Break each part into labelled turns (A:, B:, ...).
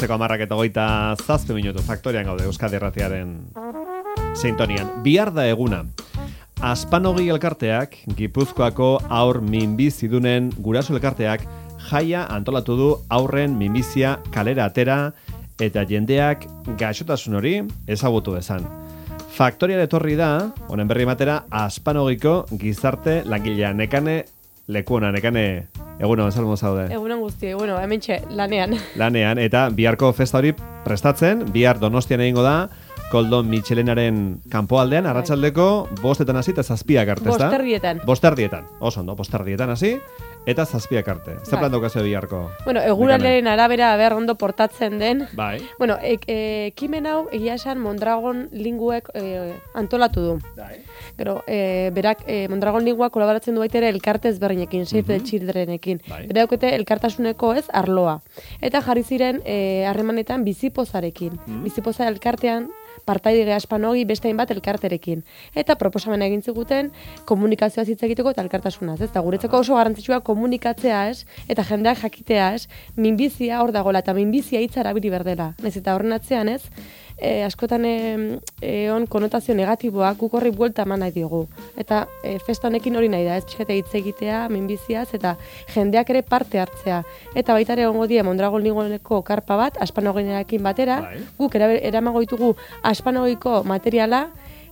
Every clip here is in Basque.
A: Goizeko 10:27 Faktorian gaude Euskadi Irratiaren sintonian. Bihar da eguna. Aspanogi elkarteak, Gipuzkoako haur minbizidunen guraso elkarteak jaia antolatu du haurren minbizia kalera atera eta jendeak gaixotasun hori ezagutu dezan. Faktorian etorri da, honen berri matera, Aspanogiko gizarte langilea Nekane lekuona. Nekane, egunon, salmo zaude?
B: Egunon guzti, hementxe, lanean.
A: Lanean, eta biharko festa hori prestatzen, bihar Donostian egingo da, Koldon Mitxelenaren kanpoaldean, arratsaldeko 5 hasi eta 7 arte, ezta? 5 oso ondo, 5 hasi eta 7 arte. Zer plan daukazu biharko?
B: Eguraldiaren arabera ber ondo portatzen den.
A: Bai.
B: Ekimen hau egia esan Mondragon Linguek antolatu du.
A: Bai.
B: Gero, berak Mondragon Linguak kolaboratzen du baita ere elkarte ezberdinekin, Save the Childrenekin.
A: Bai.
B: Bera daukete elkartasuneko arloa. Eta jarri ziren harremanetan bizipozarekin. Bizipoza elkartean partaidige Aspanogi beste hainbat elkarterekin. Eta proposamena egin ziguten komunikazioa hitz egiteko eta elkartasunaz, ez? Eta guretzako oso garrantzitsua komunikatzea, ez? Eta jendeak jakitea, ez? Minbizia hor dagoela eta minbizia hitza erabili berdela. Naiz eta horren atzean, ez? Askotan on konotazio negatiboak guk horri buelta eman nahi diogu. Eta festa honekin hori nahi da, ez? Pixkate hitz egitea minbiziaz eta jendeak ere parte hartzea. Eta baita ere egongo die Mondragon Lingueko karpa bat Aspanogiarekin batera, guk eramango ditugu Aspanogiko materiala,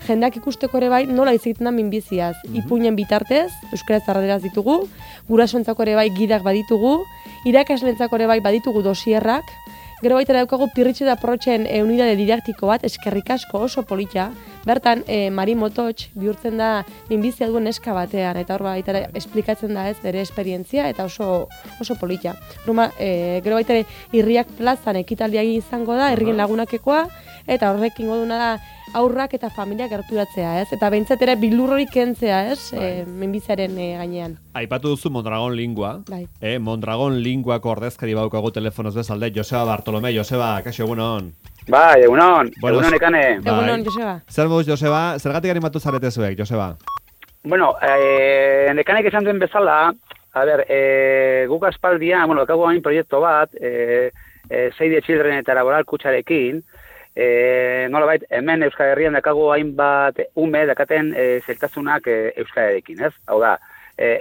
B: jendeak ikusteko ere bai nola hitz egiten da minbiziaz. Ipuinen bitartez, euskaraz erdaraz ditugu, gurasoentzako ere bai gidak baditugu, irakaslentzako ere bai baditugu dosierrak, gero baita daukagu Pirritxe da Protxen unidade didaktiko bat, eskerrik asko oso polita. Bertan, Mari Mototx bihurtzen da minbizia duen neska batean, eta hor baita ere esplikatzen da ez bere esperientzia, eta oso polita. Gero baita ere Irriak plazan ekitaldia izango da, herrien lagunakekoa, eta horrekin goduna da aurrak eta familia gerturatzea, ez? Eta behintzat ere bilurrorik kentzea, ez? Minbiziaren gainean.
A: Aipatu duzu Mondragon Lingua.
B: Bai.
A: Mondragon Linguako ordezkari baukagu telefonoz bezalde, Joseba Bartolome. Joseba, kaixo, egunon.
C: Bai, egunon Nekane.
B: Egunon, Joseba.
A: Zer moduz, Joseba? Zergatik animatu zarete zuek, Joseba?
C: Nekanek esan duen bezala, guk aspaldian, dakagu hain proiektu bat, Save the Children eta Laboral Kutxarekin, nolabait, hemen Euskal Herrian dakagu hainbat ume dakaten zeltasunak Euskal Herrekin, ez? Hau da,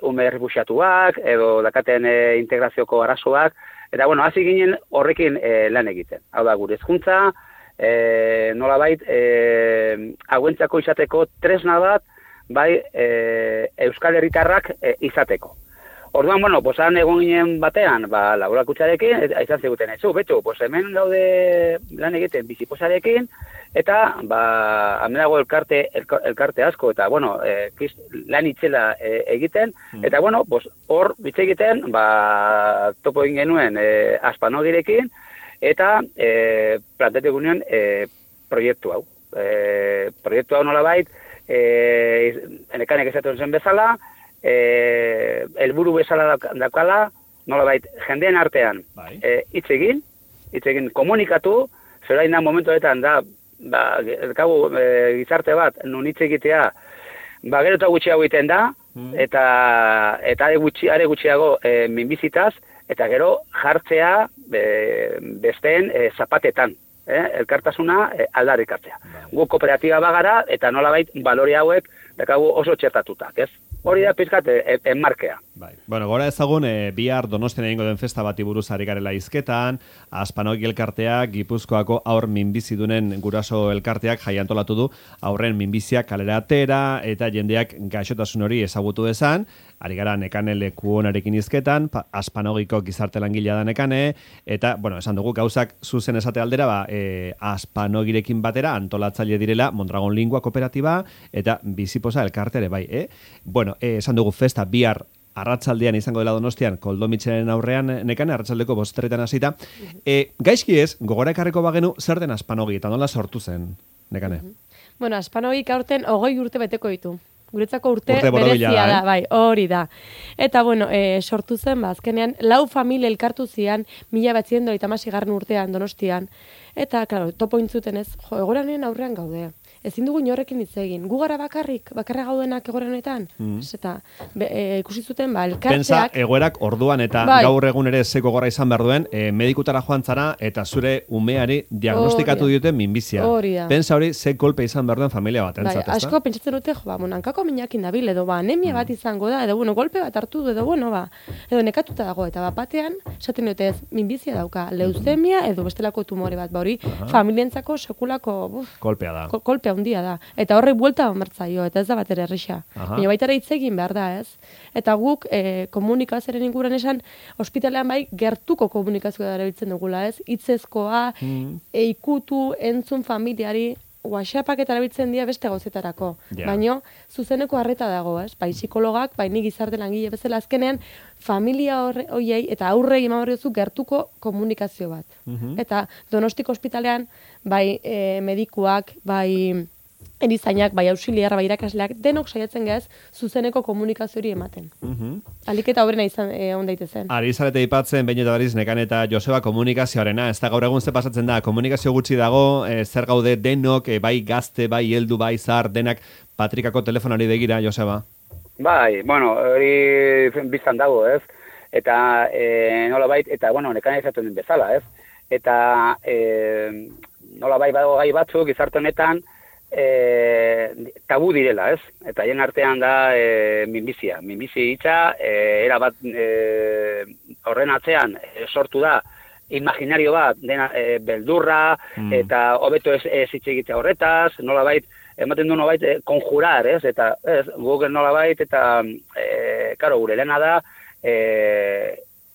C: ume errefuxiatuak, edo dakaten integrazioko arazoak, eta hasi ginen horrekin lan egiten. Hau da, gure hezkuntza, nolabait, hauentzako izateko tresna bat, bai, Euskal Herritarrak izateko. Orduan, han egon ginen batean, Laboral Kutxarekin, izan ziguten etzu, hemen gaude lan egiten bizipozarekin, eta, hemen dago elkarte asko, eta, lan itzela egiten, eta, hor, bitze egiten, topo egin genuen Aspanogirekin, eta planteatu genuen proiektu hau. Proiektu hau nolabait, Nekanek esaten zen bezala, helburu bezala dakala, nolabait, jendeen artean hitz egin, komunikatu, zerain da momentuetan da, gizarte bat, nun hitz egitea, gero eta gutxiago egiten da, eta are gutxiago minbizitaz, eta gero jartzea besteen zapatetan, elkartasuna aldarrikatzea. Gu kooperatiba bagara, eta nolabait balore hauek dakagu oso txertatutak, ez? Hori da pizkat enmarkea.
A: Bai. Gora ezagun, bihar Donostian egingo den festa bati buruz ari garela hizketan, Aspanogi elkarteak, Gipuzkoako haur minbizidunen guraso elkarteak jai antolatu du haurren minbizia kalera atera eta jendeak gaixotasun hori ezagutu dezan. Ari gara Nekane lekuonarekin hizketan, Aspanogiko gizarte langilea da Nekane, eta, esan dugu gauzak zuzen esate aldera, Aspanogirekin batera antolatzaile direla Mondragon Lingua kooperatiba eta bizipoza elkartere bai, esan dugu festa bihar arratsaldean izango dela Donostian, Koldon Mitxelenen aurrean Nekane, arratsaldeko 5 hasita. Gaizki ez, gogora ekarriko bagenu, zer den Aspanogi eta nola sortu zen, Nekane?
B: Aspanogi aurten 20 urte beteko ditu. Guretzako urte berezia da, bai, hori da. Eta, sortu zen, azkenean, 4 familia elkartu zian, 1936 urtean Donostian. Eta, klaro, topo intzuten ez, egoranen aurrean gaude. ezin dugu inorrekin hitz egin. Gu gara bakarra gaudenak egoera honetan. Eta ikusi zuten, elkarteak...
A: Pensa, egoerak orduan eta gaur egun ere zeko gora izan behar duen, medikutara joan zara eta zure umeari diagnostikatu diote minbizia. Pensa hori, ze kolpe izan behar duen familia bat, entzat, ezta?
B: Asko pentsatzen dute, hankako minakin dabil, edo anemia bat izango da, edo golpe bat hartu du, edo nekatuta dago, eta batean, esaten dute ez, minbizia dauka, leuzemia edo bestelako tumore bat, hori familientzako sekulako
A: kolpea da.
B: Kolpea handia da. Eta horrek buelta martzaio, eta ez da bat ere errisa. Baina baita ere hitz egin behar da, ez? Eta guk komunikazioaren inguruan esan, ospitalean bai gertuko komunikazioa erabiltzen dugula, ez? Hitzezkoa, ikutu, entzun familiari, WhatsAppak eta erabiltzen dira beste gauzetarako. Baina zuzeneko harreta dago, ez? Bai psikologak, bai ni gizarte langile bezala azkenean familia horiei eta aurrei eman behar duzu gertuko komunikazio bat. Eta Donostiko ospitalean bai medikuak, bai erizainak, bai auxiliar, bai irakasleak, denok saiatzen gaz zuzeneko komunikazio hori ematen. Alik eta hoberena izan on daitezen.
A: Ari zarete ipatzen, behin eta berriz Nekane eta Joseba komunikazioarena, ez da gaur egun ze pasatzen da, komunikazio gutxi dago, zer gaude denok, bai gazte, bai heldu, bai zar, denak patrikako telefonari begira, Joseba?
C: Bai, hori biztan dago, ez? Eta nolabait, eta Nekane izaten den bezala, ez? Eta nolabait badago gai batzuk gizarte honetan, tabu direla, ez? Eta hien artean da minbizia. Minbizia hitza, erabat horren atzean sortu da imaginario bat, dena beldurra, eta hobeto ez hitz egitea horretaz, nolabait, ematen du nolabait konjurar, ez? Eta guk nolabait, eta karo, gure lehena da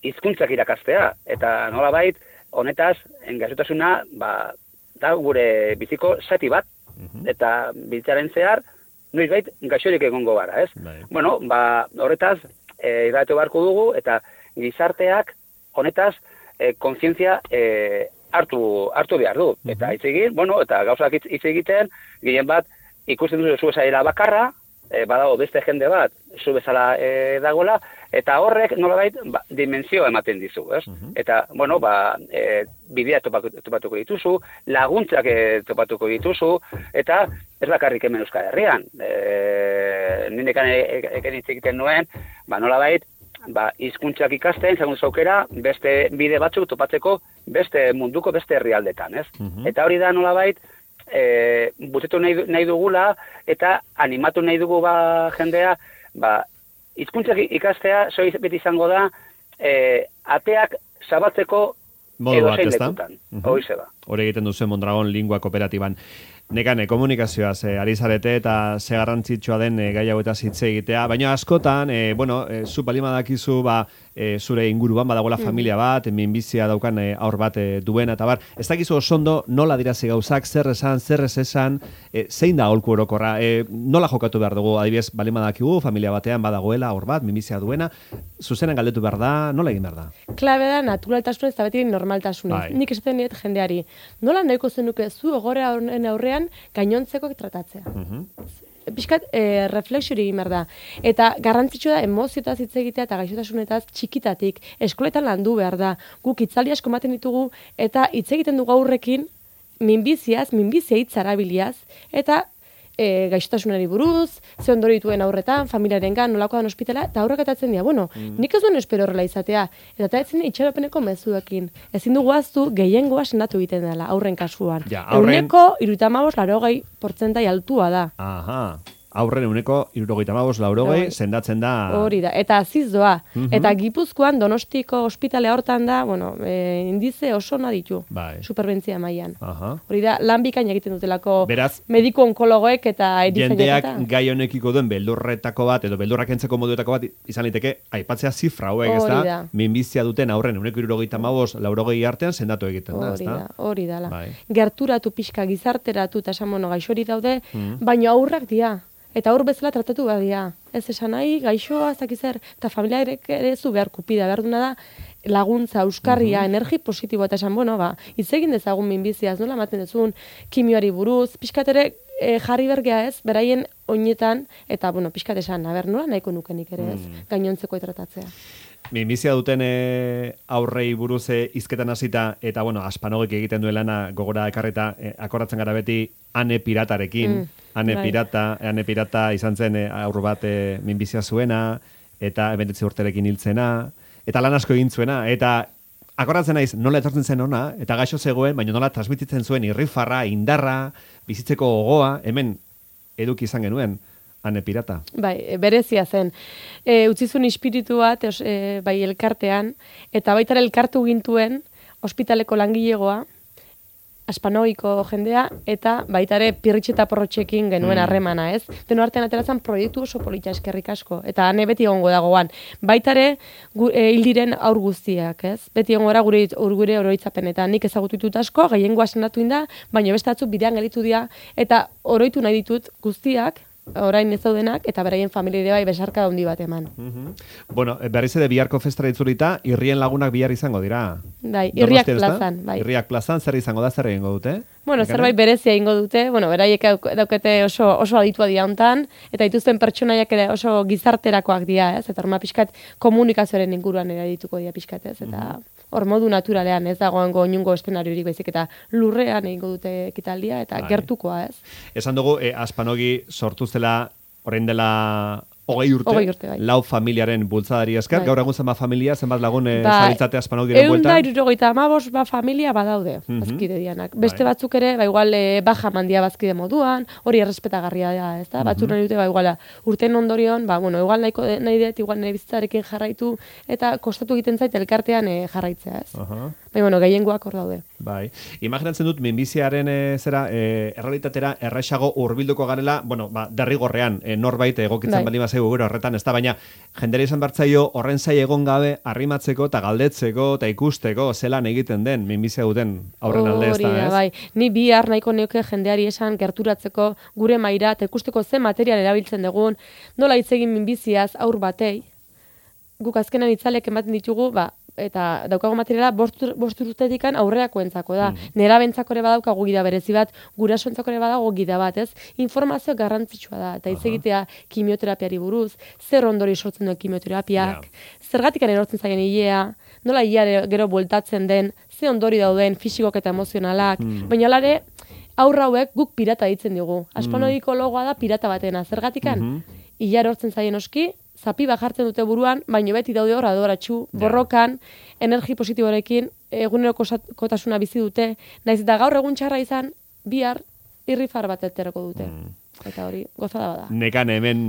C: hizkuntzak irakastea, eta nolabait, honetaz, gaixotasuna, da gure biziko zati bat, eta biltzaren zehar, noizbait gaixorik egongo gara, ez? Horretaz, irratu beharko dugu, eta gizarteak honetaz kontzientzia hartu behar du. Eta hitz egin, eta gauzak hitz egiten, gehien bat, ikusten duzu zu bezala bakarra, badago beste jende bat, zu bezala dagoela, eta horrek nolabait dimensio ematen dizu, ez? Eta, bidea topatuko dituzu, laguntzak topatuko dituzu, eta ez bakarrik hemen Euskal Herrian. Nindekan eken hitz egiten nuen, nolabait, hizkuntzak ikasten, segun zaukera, beste bide batzuk topatzeko beste munduko beste herrialdetan, ez? Eta hori da nolabait, butetu nahi dugula, eta animatu nahi dugu jendea, hizkuntzak ikastea, beti izango da, ateak zabatzeko edozein lekutan.
A: Hori egiten duzen Mondragon Lingua Kooperatiban. Nekane, komunikazioaz ari zarete eta ze garrantzitsua den gai hauetaz hitz egitea, baina askotan, zu balima dakizu, zure inguruan badagoela familia bat, minbizia daukan aur bat duena, eta bar, ez dakizu osondo nola dirazi gauzak, zer esan, zer ez esan, zein da aholku orokorra, nola jokatu behar dugu, adibidez, balima dakigu, familia batean badagoela aur bat, minbizia duena, zuzenen galdetu behar da, nola egin behar da?
B: Klabe da, naturaltasunez eta beti normaltasunez. Nik esaten diet jendeari, nola nahiko zenuke zu egoera honen aurrean gainontzeko tratatzea. Piskat, reflexiori egin behar da. Eta garrantzitsua da emozioetaz hitz egitea eta gaixotasunetaz txikitatik, eskoletan landu behar da. Guk hitzaldi asko ematen ditugu eta hitz egiten dugu aurrekin minbizia hitz arabiliaz, eta gaixotasunari buruz, ze ondori dituen aurretan, familiarengan, nolako dan ospitala, eta aurrak atatzen dira, nik ez duen espero horrela izatea, eta etzen itxaropeneko mezuekin. Ezin dugu aztu, gehiengoa sendatu egiten dela, aurren kasuan. Euneko 75% altua da.
A: Aurren euneko 75-80 sendatzen da.
B: Hori da, eta aziz doa. Eta Gipuzkoan Donostiko ospitalea hortan da, indize oso ona ditu, superbentzia mailan. Hori da, lan bikain egiten dutelako mediku onkologoek eta erizainak.
A: Jendeak gai honekiko duen beldurretako bat, edo beldurrak entzeko moduetako bat, izan liteke, aipatzea zifra hauek, ez da, minbizia duten aurren euneko 75-80 artean sendatu egiten da, ez da?
B: Hori da, gerturatu pixka gizarteratu eta esan gaixori daude, baina aurrak dira. Eta aur bezala tratatu behar dira. Ez esan nahi, gaixoa, ez dakizer, eta familiarek ere zu behar kupida, behar duna da, laguntza, euskarria, energi positibo, eta esan, hitz egin dezagun minbiziaz, nola ematen dezun, kimioari buruz, pixkat ere jarri bergea ez, beraien oinetan, eta, pixkat esan, nola nahiko nukenik ere ez, gainontzeko tratatzea.
A: Minbizia duten aurrei buruz hizketan hasita eta bueno, Aspanogik egiten duen lana gogora ekarreta akordatzen gara beti Ane piratarekin. Ane pirata izan zen aur bat minbizia zuena eta 29 urterekin hiltzena eta lan asko egin zuena eta akordatzen naiz nola etortzen zen ona eta gaixo zegoen, baina nola transmititzen zuen irrifarra, indarra, bizitzeko gogoa, hemen eduki izan genuen. Ane pirata.
B: Bai, berezia zen. Utzizun espiritu bat, bai, elkartean, eta baita elkartu gintuen, ospitaleko langilegoa, Aspanogiko jendea, eta baita ere pirritxe eta porrotxekin genuen harremana, ez? Deno artean ateratzen proiektu oso polita eskerrik asko, eta ane beti egongo dagoan. Baita ere, hil diren aur guztiak, ez? Beti egongo gara gure oroitzapenetan. Nik ezagutu ditut asko, gehiengoa senatu inda, baina beste batzuk bidean gelitu dira, eta oroitu nahi ditut guztiak, orain ez daudenak, eta beraien familia bai besarka handi bat eman.
A: Bueno, berriz ere biharko festara itzulita, irrien lagunak bihar izango dira.
B: Bai, irriak plazan. Bai.
A: Irriak plazan, zer izango da, zer egingo dute?
B: Bueno, zerbait berezia egingo dute, bueno, beraiek daukete oso aditua dira hontan, eta dituzten pertsonaiak ere oso gizarterakoak dira, ez? Eta horma pixkat komunikazioaren inguruan ere dituko dira pixkat, ez? Eta hor modu naturalean, ez dagoengo inungo eszenariorik baizik eta lurrean egingo dute ekitaldia eta gertukoa, ez?
A: Esan dugu, Aspanogi sortu zela orain dela 20 urte,
B: bai.
A: Lau familiaren bultzadari esker,
B: Bai.
A: gaur egun zenbat familia, zenbat lagun zabiltzate Aspanogiren bueltan?
B: 175 familia badaude, bazkide dianak. Beste batzuk ere, ba igual baja mandia bazkide moduan, hori errespetagarria da, ez da? Batzuk nahi dute, ba igual, urten ondorion, ba, bueno, igual nahi dut, igual nire bizitzarekin jarraitu, eta kostatu egiten zait elkartean jarraitzea, ez? Bai, bueno, gehiengoak hor daude.
A: Bai. Imaginatzen dut, minbiziaren errealitatera erraixago hurbilduko garela, bueno, ba, derrigorrean, norbait egokitzen baldin bazaigu gero horretan, ez da, baina jendera izan bertzaio horren zai egon gabe arrimatzeko eta galdetzeko eta ikusteko zelan egiten den minbizia duten aurren alde, ez da, ez?
B: Bai, ni bihar nahiko neuke jendeari esan gerturatzeko gure maira eta ikusteko ze material erabiltzen dugun, nola hitz egin minbiziaz aur batei, guk azkenan itzalek ematen ditugu, ba, eta daukago materiala bost urtetikan aurreakoentzako da. Nerabentzako ere badaukagu gida berezi bat, gurasoentzako ere badago gida bat, ez? Informazio garrantzitsua da, eta hitz egitea kimioterapiari buruz, zer ondori sortzen duen kimioterapiak, zergatik erortzen zaien ilea, nola ilea gero bueltatzen den, ze ondori dauden fisikok eta emozionalak, baina alare, aurra hauek guk pirata ditzen dugu. Aspanogiko logoa da pirata batena, zergatikan? Ilea erortzen zaien oski, zapi bat jartzen dute buruan, baino beti daude hor adoratxu, borrokan, energi positiborekin, egunerokotasuna bizi dute, naiz eta gaur egun txarra izan, bihar irrifar bat eterako dute. Eta hori, gozada bada.
A: Nekan hemen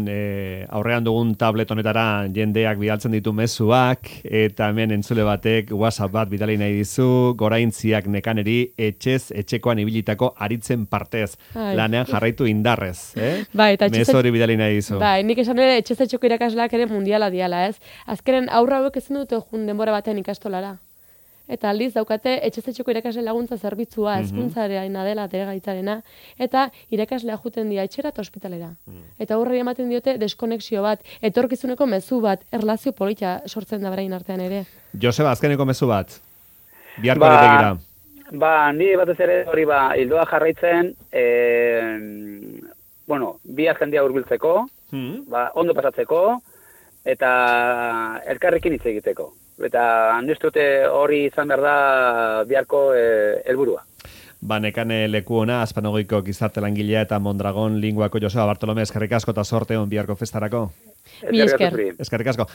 A: aurrean dugun tablet honetara jendeak bidaltzen ditu mezuak, eta hemen entzule batek WhatsApp bat bidali nahi dizu, goraintziak nekaneri etxekoan ibilitako aritzen partez. Lanean jarraitu indarrez,
B: Bai, eta
A: mezu hori bidali nahi dizu.
B: Bai, nik esan ere etxeko irakasleak ere mundiala diala, ez? Azkenen aurra hauek ezin dute jun denbora batean ikastolara. Eta aldiz daukate etxezetxeko irakasle laguntza zerbitzua, hezkuntzareena dela gaitzarena, eta irakaslea juten dira etxera eta ospitalera. Eta horri ematen diote deskonexio bat, etorkizuneko mezu bat, erlazio polita sortzen da berain artean ere.
A: Joseba, azkeneko mezu bat. Biharko begira.
C: Ba, ni batez ere hori hildoa jarraitzen, bueno, bihar jendea hurbiltzeko, ondo pasatzeko, eta elkarrekin hitz egiteko. Eta niztute hori izan behar da biharko helburua.
A: Ba, nekane leku ona, Aspanogiko gizarte langilea eta Mondragon linguako Joseba Bartolome, eskerrik asko eta sorte on biharko festarako.
B: Mi esker.
A: Eskerrik asko.